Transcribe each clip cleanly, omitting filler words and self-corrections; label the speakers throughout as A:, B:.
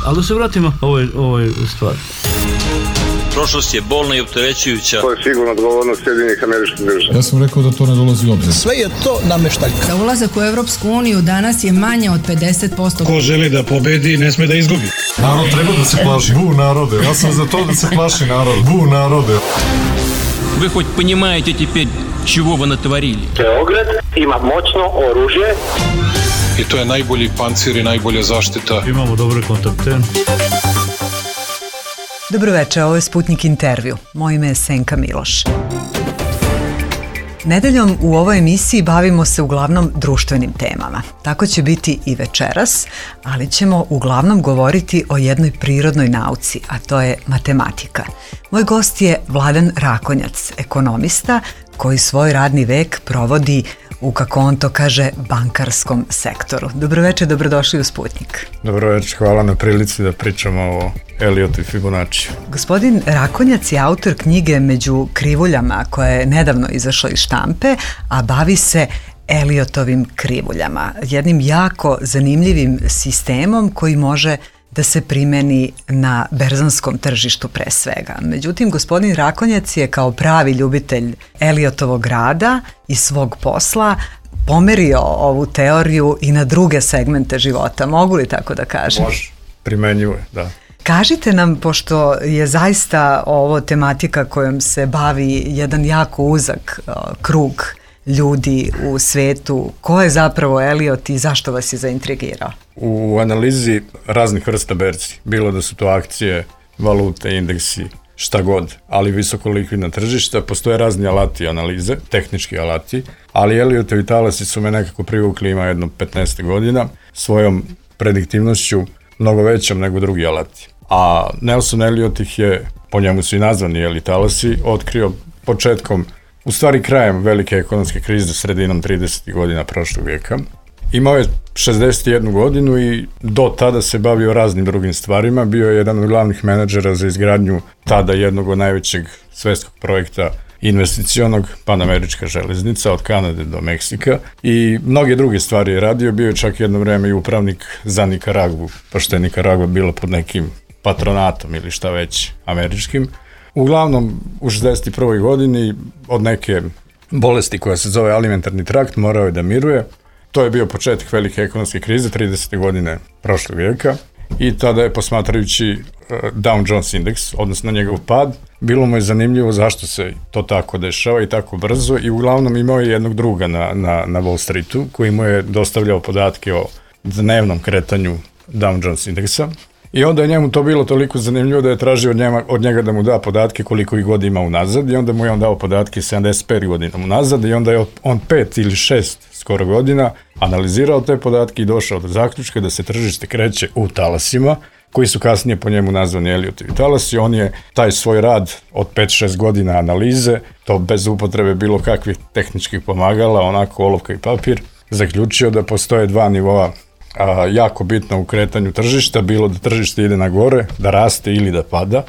A: Ali da se vratimo ovoj stvari.
B: Prošlost je bolna i opterećujuća.
C: To je sigurno odgovornost Sjedinjenih Američkih Država.
D: Ja sam rekao da to ne dolazi u obzir.
E: Sve je to nameštaljka.
F: Za ulazak u Evropsku uniju danas je manje od 50%.
G: Ko želi da pobedi, ne sme da izgubi.
D: Narod treba da se plaši. Bu narode. Ja sam za to da se plaši narod. Bu narode.
H: Вы хоть понимаете теперь, чего вы натворили?
I: Beograd ima moćno oružje.
G: I to je najbolji pancir i najbolja zaštita.
A: Imamo dobre kontakte.
J: Dobroveče, ovo je Sputnik intervju. Moje ime je Senka Miloš. Nedeljom u ovoj emisiji bavimo se uglavnom društvenim temama. Tako će biti i večeras, ali ćemo uglavnom govoriti o jednoj prirodnoj nauci, a to je matematika. Moj gost je Vladan Rakonjac, ekonomista koji svoj radni vek provodi u, kako on to kaže, bankarskom sektoru. Dobroveče, dobrodošli u Sputnik.
K: Dobroveče, hvala na prilici da pričamo o Eliotu i Fibonaciju.
J: Gospodin Rakonjac je autor knjige Među krivuljama, koja je nedavno izašla iz štampe, a bavi se Eliotovim krivuljama, jednim jako zanimljivim sistemom koji može da se primeni na berzanskom tržištu pre svega. Međutim, gospodin Rakonjac je kao pravi ljubitelj Eliotovog rada i svog posla pomerio ovu teoriju i na druge segmente života. Mogu li tako da kažem?
K: Može, primenjivo je, da.
J: Kažite nam, pošto je zaista ovo tematika kojom se bavi jedan jako uzak krug ljudi u svetu, ko je zapravo Eliot i zašto vas je zaintrigirao?
K: U analizi raznih vrsta berzi, bilo da su to akcije, valute, indeksi, šta god, ali visoko likvidna tržišta, postoje razni alati analize, tehnički alati, ali Eliotovi talasi su me nekako privukli, ima jedno 15 godina, svojom prediktivnošću mnogo većom nego drugi alati. A Nelson Eliot ih je, po njemu su i nazvani talasi, otkrio početkom, u stvari krajem velike ekonomske krize, sredinom 30. godina prošlog vijeka. Imao je 61 godinu i do tada se bavio raznim drugim stvarima. Bio je jedan od glavnih menadžera za izgradnju tada jednog od najvećeg svetskog projekta investicionog, Panamerička železnica od Kanade do Meksika i mnoge druge stvari je radio. Bio je čak jedno vreme i upravnik za Nikaragvu, pošto je Nikaragva bila pod nekim patronatom ili šta već američkim. Uglavnom, u 61. godini od neke bolesti koja se zove alimentarni trakt morao je da miruje. To je bio početak velike ekonomske krize, 30. godine prošlog vijeka i tada je, posmatrajući Dow Jones indeks, odnosno njegov pad, bilo mu je zanimljivo zašto se to tako dešava i tako brzo i uglavnom imao je jednog druga na Wall Streetu koji mu je dostavljao podatke o dnevnom kretanju Dow Jones indeksa. I onda je njemu to bilo toliko zanimljivo da je tražio od njega da mu da podatke koliko ih god ima unazad i onda mu je on dao podatke 75 godina unazad i onda je on 5 ili 6 skoro godina analizirao te podatke i došao do zaključka da se tržište kreće u talasima koji su kasnije po njemu nazvani Eliotovi talasi. On je taj svoj rad od 5-6 godina analize, to bez upotrebe bilo kakvih tehničkih pomagala, onako olovka i papir, zaključio da postoje dva nivoa jako bitno u kretanju tržišta, bilo da tržište ide na gore, da raste ili da pada,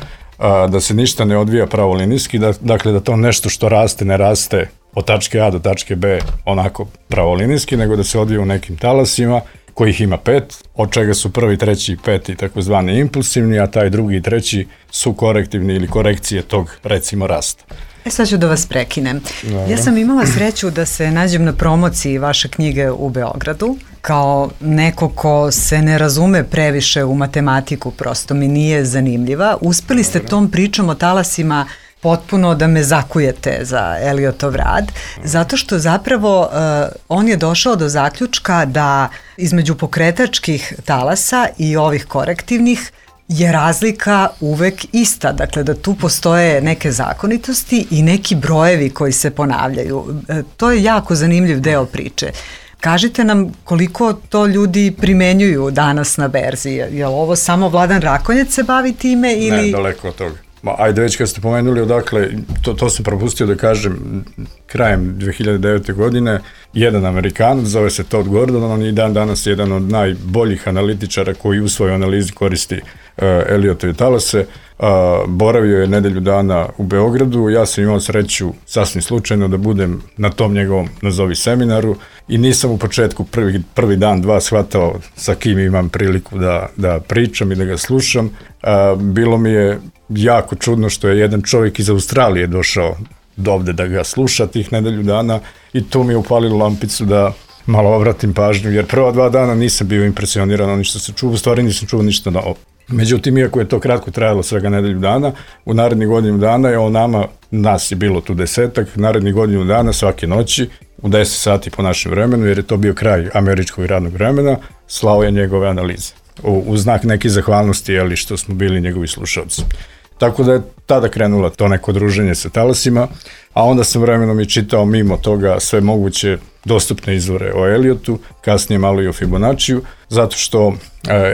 K: da se ništa ne odvija pravolinijski, dakle da to nešto što raste ne raste od tačke A do tačke B onako pravolinijski, nego da se odvija u nekim talasima kojih ima 5, od čega su prvi, treći i peti takozvani impulsivni, a taj drugi i treći su korektivni ili korekcije tog recimo rasta.
J: Sad ću da vas prekinem. Ja sam imala sreću da se nađem na promociji vaše knjige u Beogradu. Kao neko ko se ne razume previše u matematiku, prosto mi nije zanimljiva. Uspeli ste tom pričom o talasima potpuno da me zakujete za Eliotov rad, zato što zapravo on je došao do zaključka da između pokretačkih talasa i ovih korektivnih je razlika uvek ista, dakle da tu postoje neke zakonitosti i neki brojevi koji se ponavljaju. To je jako zanimljiv deo priče. Kažite nam koliko to ljudi primenjuju danas na berzi. Je li ovo samo Vladan Rakonjac se bavi time ili...
K: Ne, daleko od toga. Ajde, već kad ste pomenuli odakle, to sam propustio da kažem, krajem 2009. godine jedan Amerikanac, zove se Todd Gordon, on je dan danas jedan od najboljih analitičara koji u svojoj analizi koristi Eliotove talase. Boravio je nedelju dana u Beogradu, ja sam imao sreću sasvim slučajno da budem na tom njegovom nazovi seminaru i nisam u početku prvi dan, dva shvatao sa kim imam priliku da pričam i da ga slušam. Bilo mi je jako čudno što je jedan čovjek iz Australije došao do ovde da ga sluša tih nedelju dana i tu mi je upalilo lampicu da malo obratim pažnju, jer prva 2 dana nisam bio impresioniran onim što se čuo, u stvari nisam čuo ništa novo. Međutim, iako je to kratko trajalo svega nedelju dana, u narednih godinu dana je nas je bilo tu 10-ak, narednih godinu dana svake noći u 10 sati po našem vremenu, jer je to bio kraj američkog radnog vremena, slao je njegove analize. U znak neke zahvalnosti, što smo bili njegovi slušalci. Tako da je tada krenulo to neko druženje sa talasima, a onda sam vremenom i čitao mimo toga sve moguće dostupne izvore o Eliotu, kasnije malo i o Fibonaciju, zato što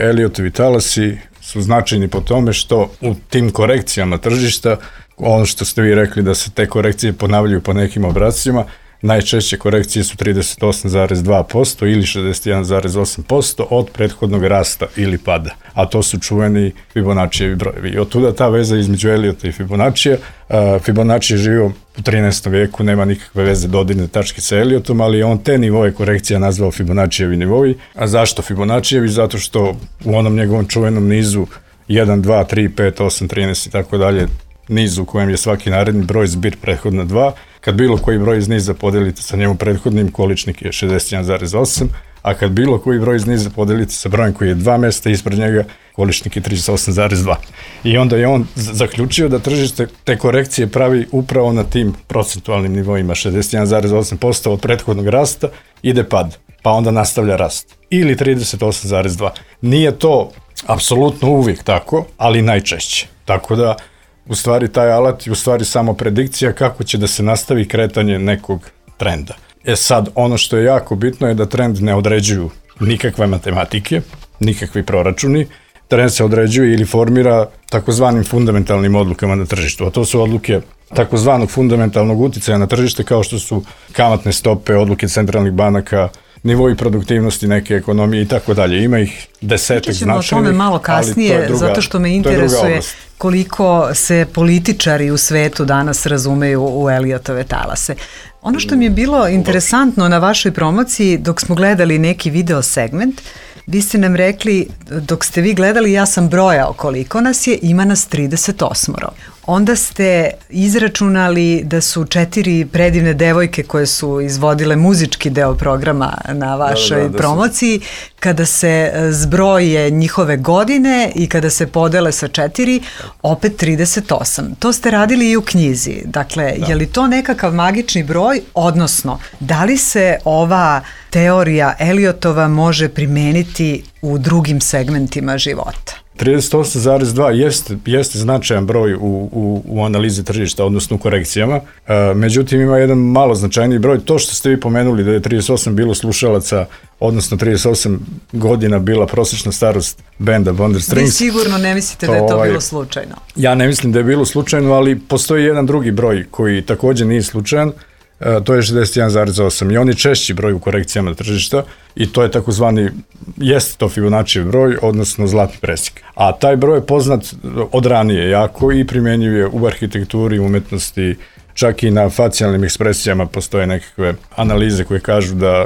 K: Eliotovi talasi su značajni po tome što u tim korekcijama tržišta, ono što ste vi rekli da se te korekcije ponavljaju po nekim obrascima, najčešće korekcije su 38,2% ili 61,8% od prethodnog rasta ili pada, a to su čuveni Fibonaccijevi brojevi. I od tuda ta veza između Eliota i Fibonaccija. Fibonacci je živio u 13. veku, nema nikakve veze dodirne tačke sa Eliotom, ali on te nivoje korekcija nazvao Fibonaccijevi nivoji. A zašto Fibonaccijevi? Zato što u onom njegovom čuvenom nizu 1, 2, 3, 5, 8, 13 i tako dalje, niz u kojem je svaki naredni broj zbir prethodna 2, kad bilo koji broj iz niza podelite sa njemu prethodnim, količnik je 61,8, a kad bilo koji broj iz niza podelite sa brojem koji je 2 mesta ispred njega, količnik je 38,2. I onda je on zaključio da tržište te korekcije pravi upravo na tim procentualnim nivoima, 61,8% od prethodnog rasta ide pad, pa onda nastavlja rast. Ili 38,2. Nije to apsolutno uvijek tako, ali najčešće. Tako da u stvari taj alat je u stvari samo predikcija kako će da se nastavi kretanje nekog trenda. Sad, ono što je jako bitno je da trend ne određuju nikakve matematike, nikakvi proračuni. Trend se određuje ili formira takozvanim fundamentalnim odlukama na tržištu, a to su odluke takozvanog fundamentalnog uticaja na tržište kao što su kamatne stope, odluke centralnih banaka, nivoi produktivnosti neke ekonomije i tako dalje. Ima ih desetak značajnih. Ćemo o tome
J: malo kasnije, zato što me interesuje koliko se političari u svetu danas razumeju u Eliotove talase. Ono što mi je bilo interesantno na vašoj promociji, dok smo gledali neki video segment, vi ste nam rekli, dok ste vi gledali, ja sam brojao koliko nas je, ima nas 38. Onda ste izračunali da su 4 predivne devojke koje su izvodile muzički deo programa na vašoj promociji, kada se zbroje njihove godine i kada se podele sa 4, opet 38. To ste radili i u knjizi. Dakle, je li to nekakav magični broj, odnosno, da li se ova teorija Eliotova može primeniti u drugim segmentima života?
K: 38,2 jeste značajan broj u analizi tržišta, odnosno u korekcijama. Međutim, ima jedan malo značajniji broj. To što ste vi pomenuli da je 38 bilo slušalaca, odnosno 38 godina bila prosječna starost benda Wonder Strings.
J: Vi sigurno ne mislite da je to bilo slučajno?
K: Ja ne mislim da je bilo slučajno, ali postoji jedan drugi broj koji također nije slučajan. To je 61,8 i on je češći broj u korekcijama tržišta i to je takozvani, jeste to Fibonaccijev broj, odnosno zlatni presjek. A taj broj je poznat od ranije jako i primjenjiv je u arhitekturi, umetnosti, čak i na facijalnim ekspresijama postoje nekakve analize koje kažu da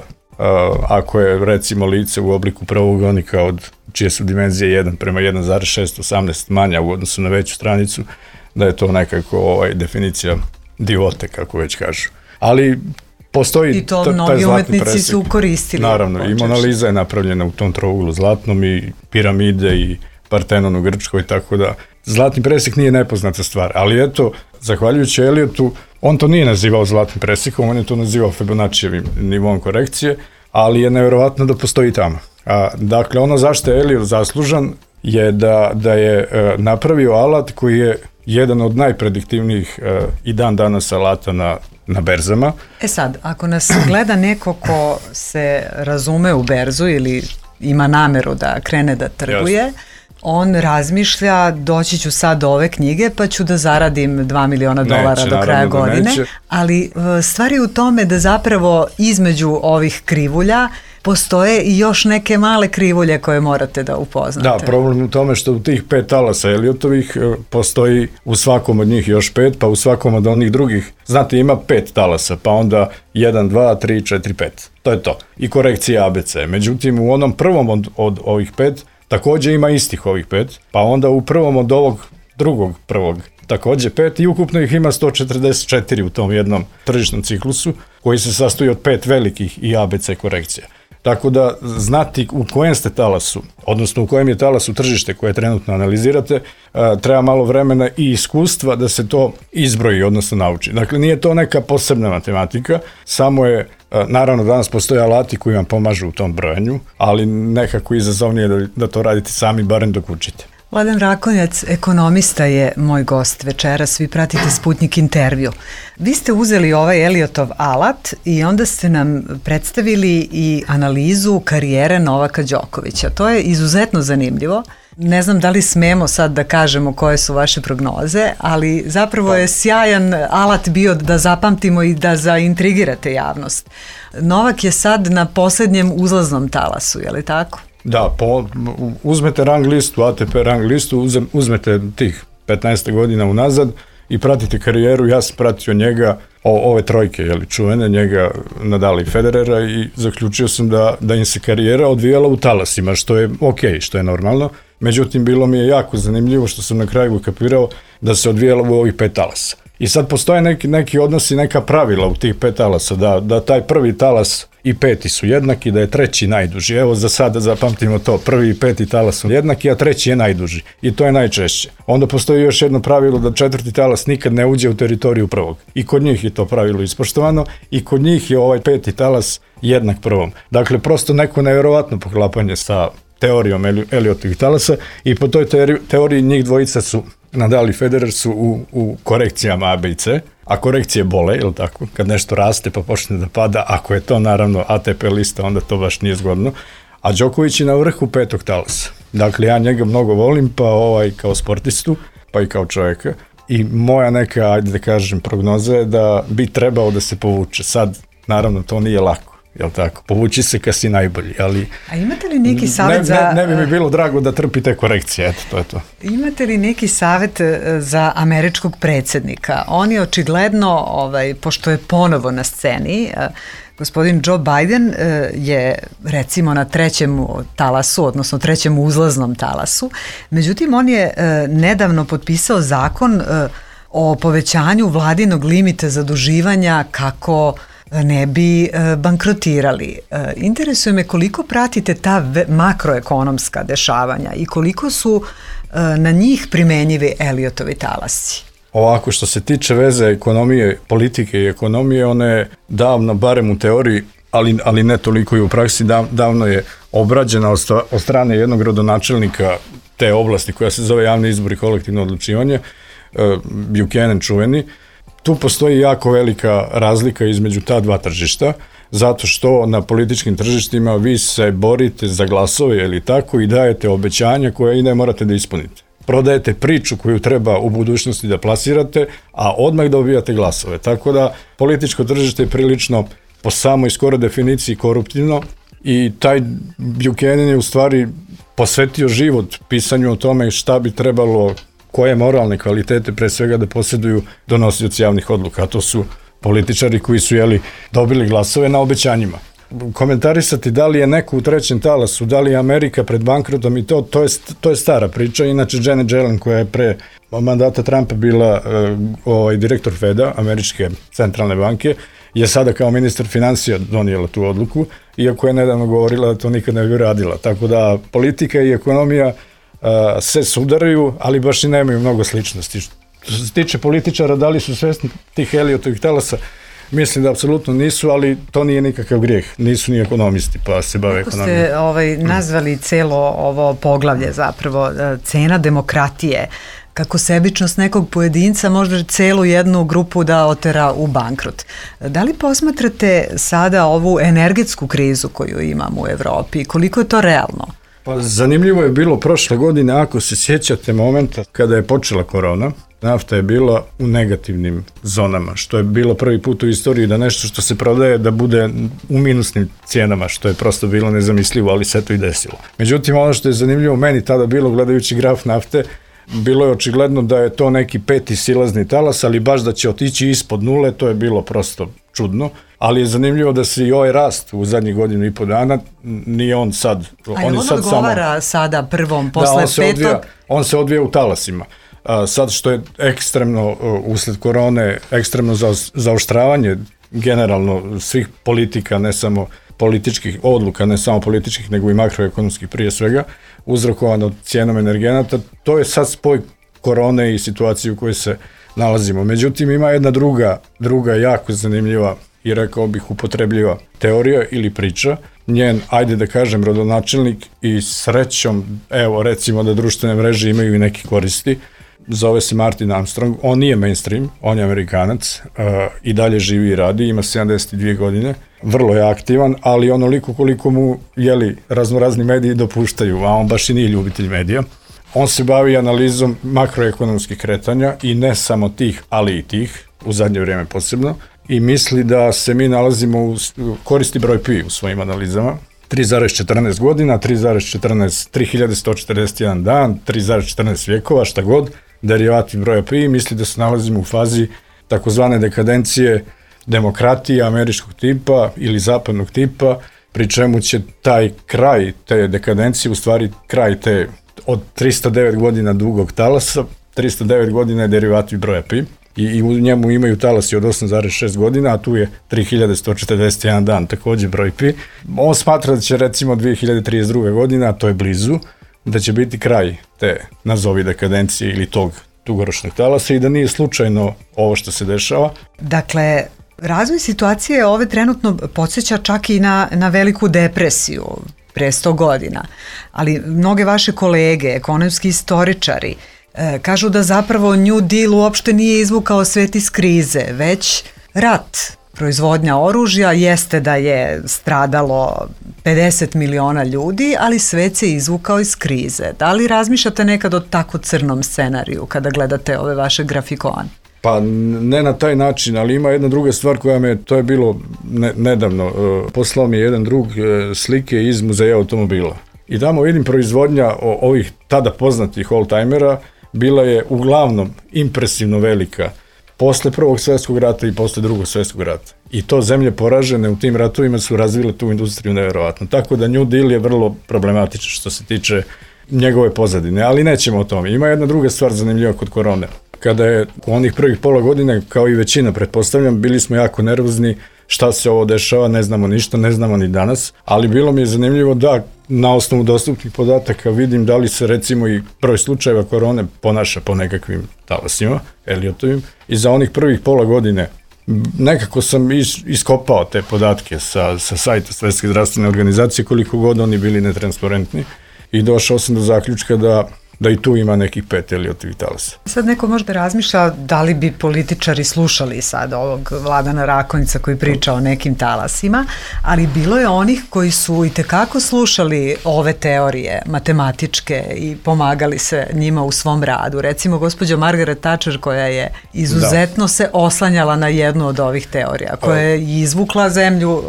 K: ako je recimo lice u obliku pravougonika od čije su dimenzije 1 prema 1,618 manja u odnosu na veću stranicu, da je to nekako definicija divote, kako već kažu. Ali postoji
J: i to mnogi umetnici su koristili.
K: Naravno, i Mona Lisa je napravljena u tom trouglu zlatnom i piramide i Partenon u Grčkoj, tako da zlatni presjek nije nepoznata stvar. Ali eto, zahvaljujući Eliotu, on to nije nazivao zlatnim presjekom, on je to nazivao Fibonaccijevim nivom korekcije, ali je nevjerovatno da postoji tamo. Dakle, ono zašto je Eliot zaslužan je da je napravio alat koji je jedan od najprediktivnijih i dan danas alata na berzama.
J: Sad, ako nas gleda neko ko se razume u berzu ili ima nameru da krene da trguje, on razmišlja, doći ću sad do ove knjige pa ću da zaradim $2 miliona do kraja godine, ali stvar je u tome da zapravo između ovih krivulja postoje i još neke male krivulje koje morate da upoznate.
K: Da, problem u tome što u tih 5 talasa Eliotovih postoji u svakom od njih još 5, pa u svakom od onih drugih, znate, ima 5 talasa, pa onda 1, 2, 3, 4, 5. To je to. I korekcija ABC. Međutim, u onom prvom od ovih 5 takođe ima istih ovih 5, pa onda u prvom od ovog drugog prvog takođe 5 i ukupno ih ima 144 u tom jednom tržišnom ciklusu koji se sastoji od 5 velikih i ABC korekcija. Tako da znati u kojem ste talasu, odnosno u kojem je talasu tržište koje trenutno analizirate, treba malo vremena i iskustva da se to izbroji, odnosno nauči. Dakle, nije to neka posebna matematika, samo je, naravno danas postoje alati koji vam pomažu u tom brojanju, ali nekako izazovnije da to radite sami, barem dok učite.
J: Vladan Rakonjac, ekonomista, je moj gost večeras. Vi pratite Sputnik intervju. Vi ste uzeli ovaj Eliotov alat i onda ste nam predstavili i analizu karijere Novaka Đokovića. To je izuzetno zanimljivo. Ne znam da li smemo sad da kažemo koje su vaše prognoze, ali zapravo je sjajan alat bio da zapamtimo i da zaintrigirate javnost. Novak je sad na poslednjem uzlaznom talasu, je li tako?
K: Da, uzmete rang listu, ATP rang listu, uzmete tih 15 godina unazad i pratite karijeru. Ja sam pratio njega, ove trojke, čuvene, njega, Nadala i Federera, i zaključio sam da im se karijera odvijala u talasima, što je okej, što je normalno. Međutim, bilo mi je jako zanimljivo što sam na kraju kapirao da se odvijala u ovih 5 talasa. I sad postoje neki odnosi, neka pravila u tih 5 talasa, da taj prvi talas i 5. su jednaki, da je 3. najduži. Evo za sada zapamtimo to, 1. i 5. talas su jednaki, a 3. je najduži. I to je najčešće. Onda postoji još jedno pravilo da 4. talas nikad ne uđe u teritoriju prvog. I kod njih je to pravilo ispoštovano i kod njih je ovaj 5. talas jednak prvom. Dakle, prosto neko nevjerovatno poklapanje sa teorijom Eliotovih talasa i po toj teoriji njih dvojica su, Nadal i Federer, su u korekcijama A, B i C, a korekcije bole, ili tako, kad nešto raste pa počne da pada, ako je to naravno ATP lista, onda to baš nije zgodno, a Đoković je na vrhu 5. talasa. Dakle, ja njega mnogo volim, pa kao sportistu, pa i kao čovjeka, i moja neka, ajde da kažem, prognoza je da bi trebao da se povuče. Sad, naravno, to nije lako. Jel tako? Povući se kad si najbolji, ali... A imate li neki savjet za... Ne bi mi bilo drago da trpite korekcije, eto, to je to. Imate li neki savjet za američkog predsjednika? On je očigledno, pošto je ponovo na sceni, gospodin Joe Biden je recimo na 3. talasu, odnosno 3. uzlaznom talasu, međutim on je nedavno potpisao zakon o povećanju vladinog limita zaduživanja kako ne bi bankrotirali. Interesuje me koliko pratite ta makroekonomska dešavanja i koliko su na njih primenjivi Eliotovi talasi. Ovako, što se tiče veze ekonomije, politike i ekonomije, ona je davno, barem u teoriji, ali ne toliko i u praksi, davno je obrađena od strane jednog rodonačelnika te oblasti koja se zove javni izbor i kolektivno odlučivanje, Buchanan čuveni. Tu postoji jako velika razlika između ta dva tržišta, zato što na političkim tržištima vi se borite za glasove ili tako i dajete obećanja koje i ne morate da ispunite. Prodajete priču koju treba u budućnosti da plasirate, a odmah dobijate glasove. Tako da političko tržište je prilično po samoj skoro definiciji koruptivno i taj Buchanan je u stvari posvetio život pisanju o tome šta bi trebalo, koje moralne kvalitete pre svega da posjeduju donosioci javnih odluka, a to su političari koji su dobili glasove na obećanjima. Komentarisati da li je neko u 3. talasu, da li je Amerika pred bankrotom i to je stara priča. Inače, Janet Yellen, koja je pre mandata Trumpa bila direktor Feda, američke centralne banke, je sada kao ministar financija donijela tu odluku, iako je nedavno govorila da to nikad ne bi radila. Tako da politika i ekonomija se sudaraju, ali baš i nemaju mnogo sličnosti. Što se tiče političara, da li su svesni tih Eliotovih talasa? Mislim da apsolutno nisu, ali to nije nikakav grijeh. Nisu ni ekonomisti, pa se bave ekonomijom. Kako ste nazvali celo ovo poglavlje zapravo, cena demokratije, kako sebičnost nekog pojedinca može celu jednu grupu da otera u bankrot. Da li posmatrate sada ovu energetsku krizu koju imamo u Evropi? Koliko je to realno? Pa zanimljivo je bilo prošle godine, ako se sjećate momenta kada je počela korona, nafta je bila u negativnim zonama, što je bilo prvi put u istoriji da nešto što se prodaje da bude u minusnim cijenama, što je prosto bilo nezamislivo, ali se to i desilo. Međutim, ono što je zanimljivo meni tada bilo, gledajući graf nafte, bilo je očigledno da je to neki 5. silazni talas, ali baš da će otići ispod nule, to je bilo prosto čudno. Ali je zanimljivo da se i ovaj rast u zadnjih godinu i po dana, nije on sad...
J: on odgovara sada prvom, posle petog?
K: On se odvija u talasima. Sad što je ekstremno, usled korone, ekstremno zaoštravanje generalno svih politika, ne samo političkih odluka, ne samo političkih, nego i makroekonomskih prije svega, uzrokovano cijenom energenata, to je sad spoj korone i situaciju u kojoj se nalazimo. Međutim, ima jedna druga jako zanimljiva i rekao bih upotrebljiva teorija ili priča. Njen, ajde da kažem, rodonačelnik i srećom, evo recimo da društvene mreže imaju i neki koristi, zove se Martin Armstrong, on nije mainstream, on je Amerikanac, i dalje živi i radi, ima 72 godine, vrlo je aktivan, ali onoliko koliko mu raznorazni mediji dopuštaju, a on baš i nije ljubitelj medija. On se bavi analizom makroekonomskih kretanja i ne samo tih, ali i tih, u zadnje vrijeme posebno, i misli da se mi nalazimo koristi broj pi u svojim analizama, 3,14 godina, 3141 dan, 3,14 vijekova, šta god, derivati broja pi, misli da se nalazimo u fazi takozvane dekadencije demokratije američkog tipa ili zapadnog tipa, pri čemu će taj kraj te dekadencije, u stvari kraj te od 309 godina dugog talasa, 309 godina je derivati broja pi, i u njemu imaju talasi od 8,6 godina, a tu je 3141 dan, također broj pi. On smatra da će recimo 2032. godina, a to je blizu, da će biti kraj te nazovi dekadencije ili tog dugoročnog talasa i da nije slučajno ovo što se dešava.
J: Dakle, razvoj situacije ove trenutno podsjeća čak i na veliku depresiju pre 100 godina, ali mnoge vaše kolege, ekonomski istoričari, kažu da zapravo New Deal uopšte nije izvukao svet iz krize, već rat. Proizvodnja oružja jeste da je stradalo 50 miliona ljudi, ali svet se izvukao iz krize. Da li razmišljate nekad o tako crnom scenariju kada gledate ove vaše grafikone?
K: Pa ne na taj način, ali ima jedna druga stvar koja to je bilo nedavno, poslao mi je jedan drug slike iz muzeja automobila. I tamo vidim proizvodnja ovih tada poznatih oldtimera, bila je uglavnom impresivno velika posle Prvog svjetskog rata i posle Drugog svjetskog rata. I to zemlje poražene u tim ratovima su razvile tu industriju nevjerovatno. Tako da New Deal je vrlo problematičan što se tiče njegove pozadine, ali nećemo o tome. Ima jedna druga stvar zanimljiva kod korone. Kada je u onih prvih pola godine, kao i većina pretpostavljam, bili smo jako nervozni, šta se ovo dešava, ne znamo ništa, ne znamo ni danas, ali bilo mi je zanimljivo da na osnovu dostupnih podataka vidim da li se recimo i broj slučajeva korone ponaša po nekakvim talasima, Elliotovim, i za onih prvih pola godine nekako sam iskopao te podatke sa sajta Svjetske zdravstvene organizacije, koliko god oni bili netransparentni, i došao sam do zaključka da i tu ima nekih 5 Elliotovih talasa.
J: Sad neko možda razmišlja da li bi političari slušali sad ovog Vladana Rakonjica koji priča o nekim talasima, ali bilo je onih koji su itekako slušali ove teorije matematičke i pomagali se njima u svom radu. Recimo gospođa Margaret Thatcher koja je izuzetno se oslanjala na jednu od ovih teorija, koja je izvukla zemlju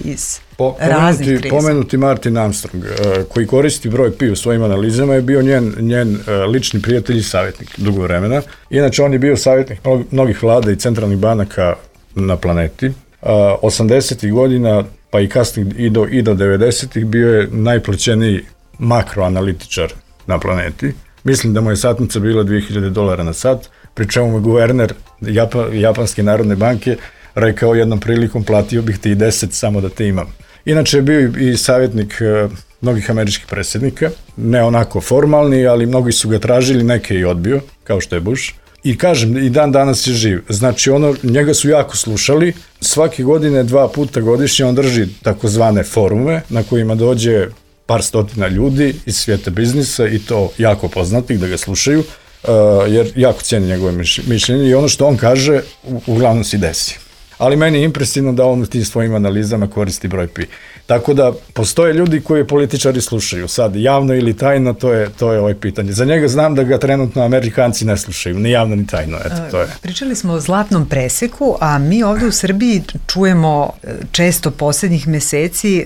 J: iz raznih kriza.
K: Pomenuti Martin Armstrong, koji koristi broj pi u svojim analizama, je bio njen lični prijatelj i savjetnik dugo vremena. Inače, on je bio savjetnik mnogih vlada i centralnih banaka na planeti. 80. godina, pa i kasnije i do 90. bio je najplaćeniji makroanalitičar na planeti. Mislim da mu je satnica bila $2000 na sat, pri čemu je guverner Japanske narodne banke rekao jednom prilikom, platio bih ti i 10 samo da te imam. Inače je bio i savjetnik mnogih američkih predsjednika, ne onako formalni, ali mnogi su ga tražili, neke i odbio, kao što je Bush. I kažem, i dan danas je živ. Znači, njega su jako slušali, svake godine 2 puta godišnje on drži takozvane forume na kojima dođe par stotina ljudi iz svijeta biznisa i to jako poznatih da ga slušaju, jer jako cijeni njegove mišljenje i ono što on kaže uglavnom se desi. Ali meni je impresivno da on u tim svojim analizama koristi broj pi. Tako da postoje ljudi koji političari slušaju. Sad, javno ili tajno, to je ovo pitanje. Za njega znam da ga trenutno Amerikanci ne slušaju, ni javno ni tajno. Eto, to je.
J: Pričali smo o zlatnom preseku, a mi ovde u Srbiji čujemo često poslednjih meseci,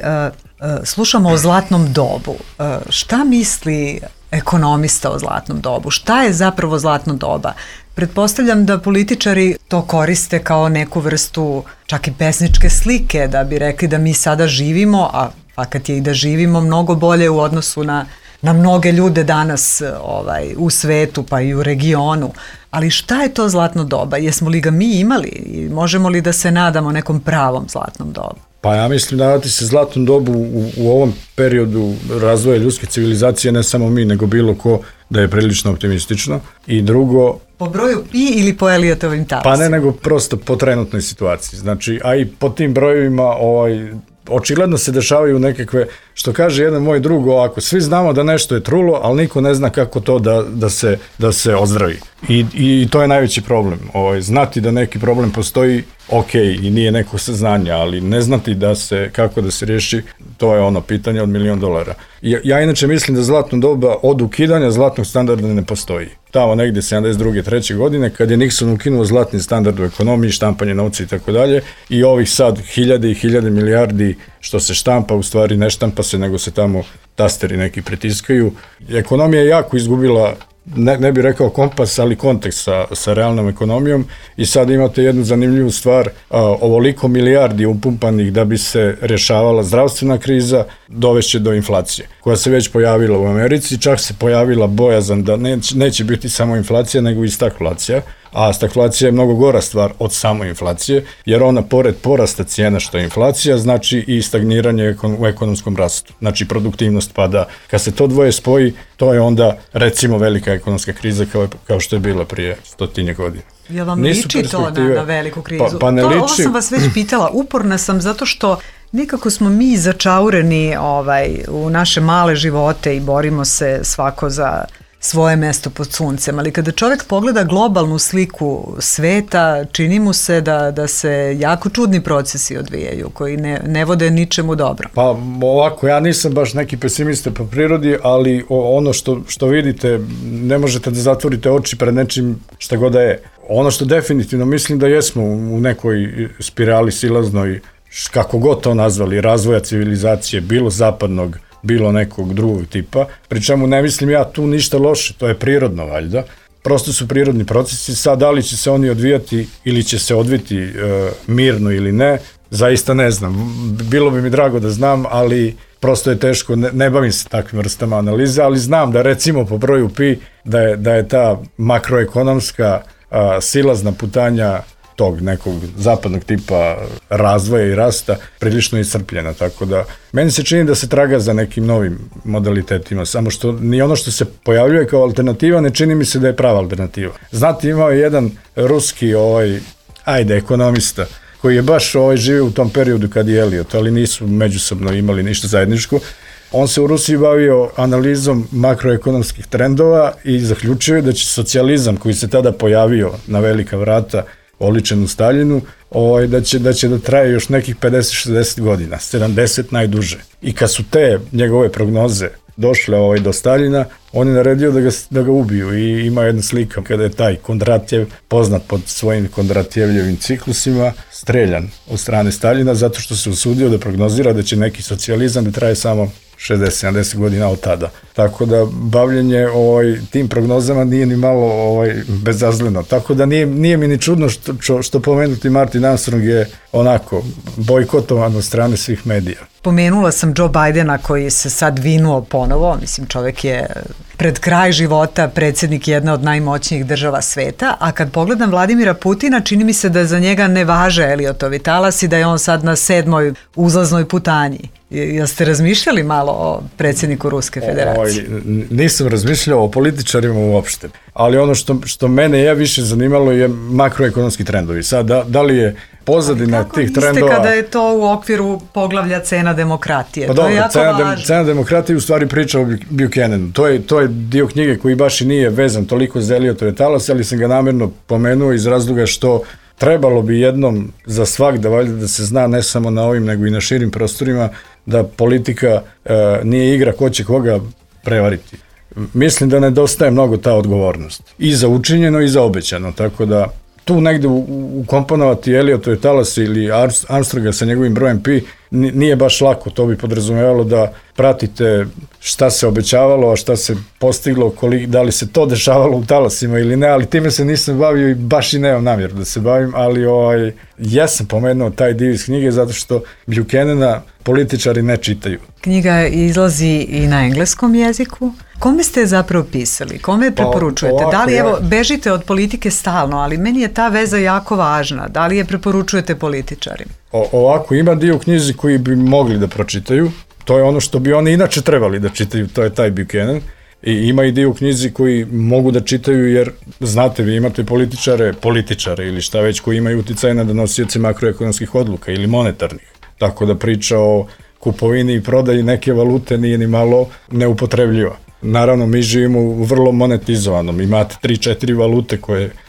J: slušamo o zlatnom dobu. Šta misli ekonomista o zlatnom dobu? Šta je zapravo zlatno doba? Pretpostavljam da političari to koriste kao neku vrstu čak i pesničke slike, da bi rekli da mi sada živimo, a fakat je i da živimo mnogo bolje u odnosu na mnoge ljude danas u svetu pa i u regionu. Ali šta je to zlatno doba? Jesmo li ga mi imali i možemo li da se nadamo nekom pravom zlatnom dobu?
K: Pa ja mislim nadati se zlatnom dobu u ovom periodu razvoja ljudske civilizacije, ne samo mi, nego bilo ko, da je prilično optimistično. I drugo...
J: Po broju pi ili po Eliotovim talasima?
K: Pa ne, nego prosto po trenutnoj situaciji. Znači, a i po tim brojevima očigledno se dešavaju nekakve, što kaže jedan moj drug, ovako, svi znamo da nešto je trulo, ali niko ne zna kako to da se ozdravi. I to je najveći problem. Znati da neki problem postoji, ok, i nije neko saznanja, ali ne znati kako da se riješi, to je ono pitanje od $1.000.000. Ja inače mislim da zlatno doba od ukidanja zlatnog standarda ne postoji. Tamo negdje 72. 3. godine, kad je Nixon ukinuo zlatni standard u ekonomiji, štampanje novca i tako dalje, i ovih sad hiljade i hiljade milijardi što se štampa, u stvari ne štampa se, nego se tamo tasteri neki pritiskaju. Ekonomija je jako izgubila, ne bih rekao kompas, ali kontekst sa realnom ekonomijom, i sad imate jednu zanimljivu stvar, ovoliko milijardi upumpanih da bi se rješavala zdravstvena kriza, dovešće do inflacije, koja se već pojavila u Americi, čak se pojavila bojazan da neće biti samo inflacija, nego i stagflacija, a stagflacija je mnogo gora stvar od samo inflacije, jer ona pored porasta cijena što je inflacija, znači i stagniranje u ekonomskom rastu. Znači produktivnost pada. Kad se to dvoje spoji, to je onda recimo velika ekonomska kriza kao što je bila prije 100 godina.
J: Jel vam liči to na veliku krizu?
K: Pa ne liči.
J: Ovo sam vas već pitala, uporna sam zato što nekako smo mi začaureni u naše male živote i borimo se svako za svoje mesto pod suncem, ali kada čovjek pogleda globalnu sliku sveta, čini mu se da se jako čudni procesi odvijaju, koji ne vode ničemu dobro.
K: Pa ovako, ja nisam baš neki pesimista po prirodi, ali ono što vidite, ne možete da zatvorite oči pred nečim šta god da je. Ono što definitivno mislim da jesmo u nekoj spirali silaznoj, kako god to nazvali, razvoja civilizacije, bilo zapadnog, bilo nekog drugog tipa, pri čemu ne mislim ja tu ništa loše, to je prirodno valjda, prosto su prirodni procesi, sad da li će se oni odvijati ili će se odviti mirno ili ne, zaista ne znam, bilo bi mi drago da znam, ali prosto je teško, ne bavim se takvim vrstama analize, ali znam da recimo po broju pi da je ta makroekonomska silazna putanja tog nekog zapadnog tipa razvoja i rasta prilično iscrpljena, tako da meni se čini da se traga za nekim novim modalitetima, samo što ni ono što se pojavljuje kao alternativa ne čini mi se da je prava alternativa. Znate, imao je jedan ruski ekonomista koji je baš živio u tom periodu kad je Eliot, ali nisu međusobno imali ništa zajedničko. On se u Rusiji bavio analizom makroekonomskih trendova i zaključio je da će socijalizam koji se tada pojavio na velika vrata, oličen u Staljinu, da će da traje još nekih 50-60 godina, 70 najduže. I kad su te njegove prognoze došle do Staljina, on je naredio da ga ubiju i ima jedna slika kada je taj Kondratjev, poznat pod svojim Kondratjevljevim ciklusima, streljan od strane Staljina zato što se usudio da prognozira da će neki socijalizam da traje samo 60-70 godina od tada. Tako da bavljenje tim prognozama nije ni malo bezazleno. Tako da nije mi ni čudno što pomenuti Martin Armstrong je onako bojkotovan od strane svih medija.
J: Pomenula sam Joe Bidena koji se sad vinuo ponovo, mislim čovjek je pred kraj života predsjednik jedne od najmoćnijih država sveta, a kad pogledam Vladimira Putina, čini mi se da za njega ne važe Eliotovi talasi, da je on sad na 7. uzlaznoj putanji. Jeste razmišljali malo o predsjedniku Ruske federacije?
K: Nisam razmišljao o političarima uopšte, ali ono što mene je više zanimalo je makroekonomski trendovi. Sad, da li je pozadina tih trendova...
J: Kako niste kada je to u okviru poglavlja cena demokratije?
K: Pa dobro, cena demokratije u stvari priča o Buchananu. To je dio knjige koji baš i nije vezan toliko za Eliotove talase, ali sam ga namjerno pomenuo iz razloga što trebalo bi jednom za svak da se zna ne samo na ovim nego i na širim prostorima da politika nije igra ko će koga prevariti. Mislim da nedostaje mnogo ta odgovornost. I za učinjeno i za obećano, tako da tu negde ukomponovati Eliotove talase ili Armstronga sa njegovim brojem pi nije baš lako, to bi podrazumevalo da pratite šta se obećavalo, a šta se postiglo, da li se to dešavalo u talasima ili ne, ali time se nisam bavio i baš i nemam namjeru da se bavim, ali ja sam pomenuo taj dio iz knjige zato što Buchanana političari ne čitaju.
J: Knjiga izlazi i na engleskom jeziku. Kome ste zapravo pisali? Kome preporučujete?
K: Ovako,
J: da li, evo, bežite od politike stalno, ali meni je ta veza jako važna. Da li je preporučujete političarima?
K: Ovako, ima dio u knjizi koji bi mogli da pročitaju. To je ono što bi oni inače trebali da čitaju, to je taj Buchanan. I ima i dio u knjizi koji mogu da čitaju jer, znate, vi imate političare ili šta već koji imaju uticaj na donosioce makroekonomskih odluka ili monetarnih. Tako da priča o kupovini i prodaji neke valute nije ni malo neupotrebljiva. Naravno, mi živimo u vrlo monetizovanom, imate 3-4 valute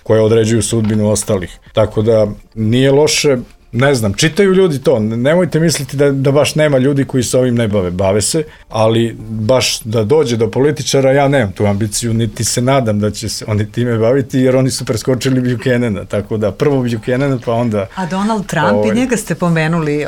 K: koje određuju sudbinu ostalih. Tako da nije loše, ne znam, čitaju ljudi to, nemojte misliti da baš nema ljudi koji se ovim ne bave se, ali baš da dođe do političara, ja nemam tu ambiciju, niti se nadam da će se oni time baviti, jer oni su preskočili Buchanana, tako da prvo Buchanana, pa onda...
J: A Donald Trump, i njega ste pomenuli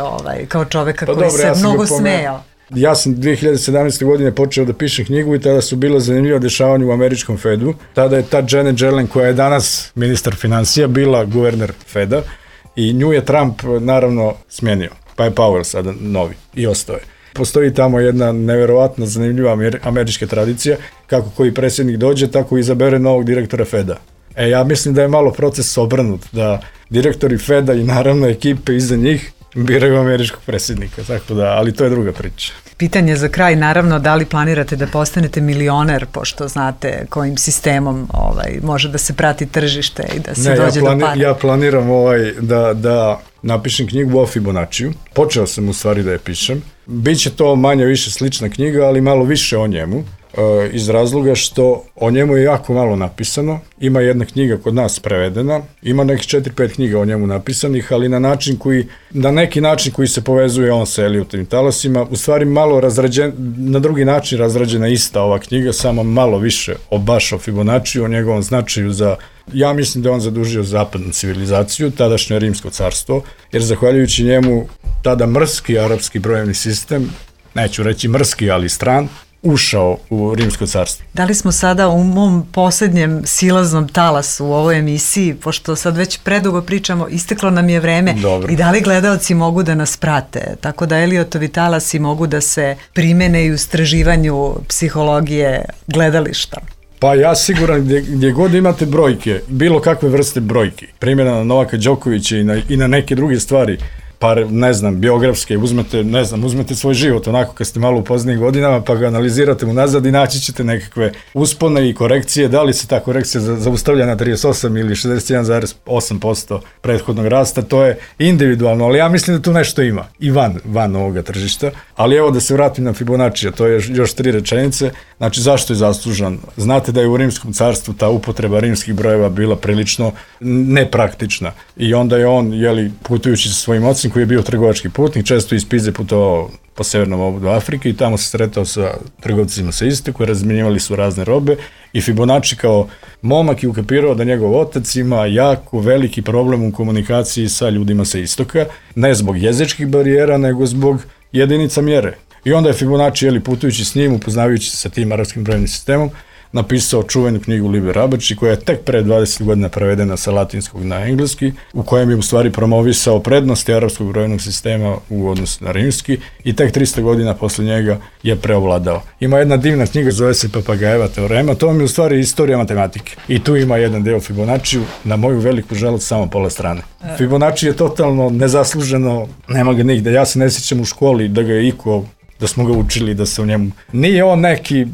J: kao čoveka koji se mnogo smejao.
K: Ja sam 2017. godine počeo da pišem knjigu i tada su bila zanimljiva dešavanja u američkom Fedu. Tada je ta Janet Yellen, koja je danas ministar financija, bila guverner Feda i nju je Trump naravno smijenio. Pa je Powell sada novi i ostao je. Postoji tamo jedna neverovatna zanimljiva američka tradicija, kako koji predsjednik dođe, tako izabere novog direktora Feda. Ja mislim da je malo proces obrnut, da direktori Feda i naravno ekipe iza njih biraju američkog predsjednika, tako da, ali to je druga priča.
J: Pitanje za kraj, naravno, da li planirate da postanete milioner, pošto znate kojim sistemom može da se prati tržište i da se dođe do para?
K: Ja planiram da napišem knjigu o Fibonaciju. Počeo sam u stvari da je pišem. Biće to manje više slična knjiga, ali malo više o njemu, iz razloga što o njemu je jako malo napisano. Ima jedna knjiga kod nas prevedena, ima nekih 4-5 knjiga o njemu napisanih, ali na neki način koji se povezuje on sa Eliotovim talasima, u stvari malo na drugi način razrađena ista ova knjiga, samo malo više baš o Fibonaciju, o njegovom značaju ja mislim da on zadužio zapadnu civilizaciju, tadašnje Rimsko carstvo, jer zahvaljujući njemu tada mrski arapski brojevni sistem, neću reći mrski, ali stran, ušao u Rimsko carstvo.
J: Da li smo sada u mom posljednjem silaznom talasu u ovoj emisiji, pošto sad već predugo pričamo, isteklo nam je vreme. Dobro. I da li gledaoci mogu da nas prate? Tako da Eliotovi talasi mogu da se primene i u istraživanju psihologije gledališta.
K: Pa ja siguran gdje god imate brojke, bilo kakve vrste brojki, primjena na Novaka Đokovića i na neke druge stvari, pa ne znam, biografske, uzmete svoj život onako kad ste malo u poznijim godinama pa ga analizirate unazad i naći ćete nekakve uspone i korekcije, da li se ta korekcija zaustavlja na 38 ili 61,8% prethodnog rasta, to je individualno, ali ja mislim da tu nešto ima i van ovoga tržišta, ali evo da se vratim na Fibonaccija, to je još 3 rečenice, znači zašto je zaslužan? Znate da je u Rimskom carstvu ta upotreba rimskih brojeva bila prilično nepraktična i onda je on, putujući sa svojim ocem koji je bio trgovački putnik, često iz Pize putovao po severnom obodu Afrike i tamo se sretao sa trgovcima sa istoka, razmjenjivali su razne robe i Fibonacci kao momak je ukapirao da njegov otac ima jako veliki problem u komunikaciji sa ljudima sa istoka, ne zbog jezičkih barijera, nego zbog jedinica mjere. I onda je Fibonacci, putujući s njim, upoznavajući se sa tim arapskim brojevnim sistemom, napisao čuvenu knjigu Liber Abaci, koja je tek pre 20 godina prevedena sa latinskog na engleski, u kojem je u stvari promovisao prednosti arapskog brojevnog sistema u odnosu na rimski i tek 300 godina posle njega je preovladao. Ima jedna divna knjiga, zove se Papagajeva teorema, to vam je u stvari istorija matematike. I tu ima jedan deo Fibonaciju, na moju veliku žalost samo pola strane. Fibonacci je totalno nezasluženo, nema ga nigde. Ja se ne sjećam u školi da ga je da smo ga učili, da se u njemu... Nije on neki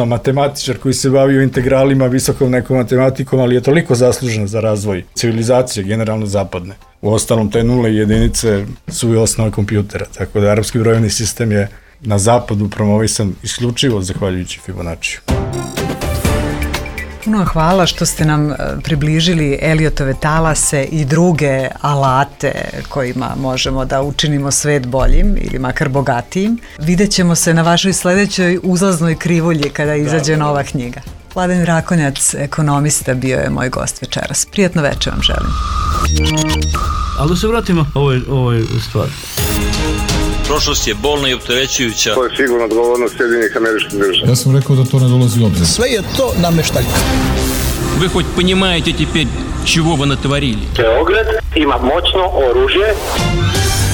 K: matematičar koji se bavio integralima, visokom nekom matematikom, ali je toliko zaslužen za razvoj civilizacije, generalno zapadne. U ostalom, te nule i jedinice su i osnove kompjutera, tako da arapski brojevni sistem je na zapadu promovisan isključivo zahvaljujući Fibonaciju.
J: Puno vam hvala što ste nam približili Eliotove talase i druge alate kojima možemo da učinimo svet boljim ili makar bogatijim. Vidjet ćemo se na vašoj sledećoj uzlaznoj krivulji kada izađe nova knjiga. Vladan Rakonjac, ekonomista, bio je moj gost večeras. Prijatno večer vam želim.
A: Ali da se vratimo ovoj stvari.
B: Prošlost je bolna i opterećujuća.
C: To je sigurno odgovornost Sjedinjenih Američkih Država.
D: Ja sam rekao da to ne dolazi u obzir.
E: Sve je to nameštaljka.
H: Вы хоть понимаете теперь, чего вы натворили?
I: Beograd ima moćno oružje.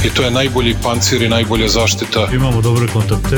G: I to je najbolji pancir i najbolja zaštita.
A: Imamo dobre kontakte.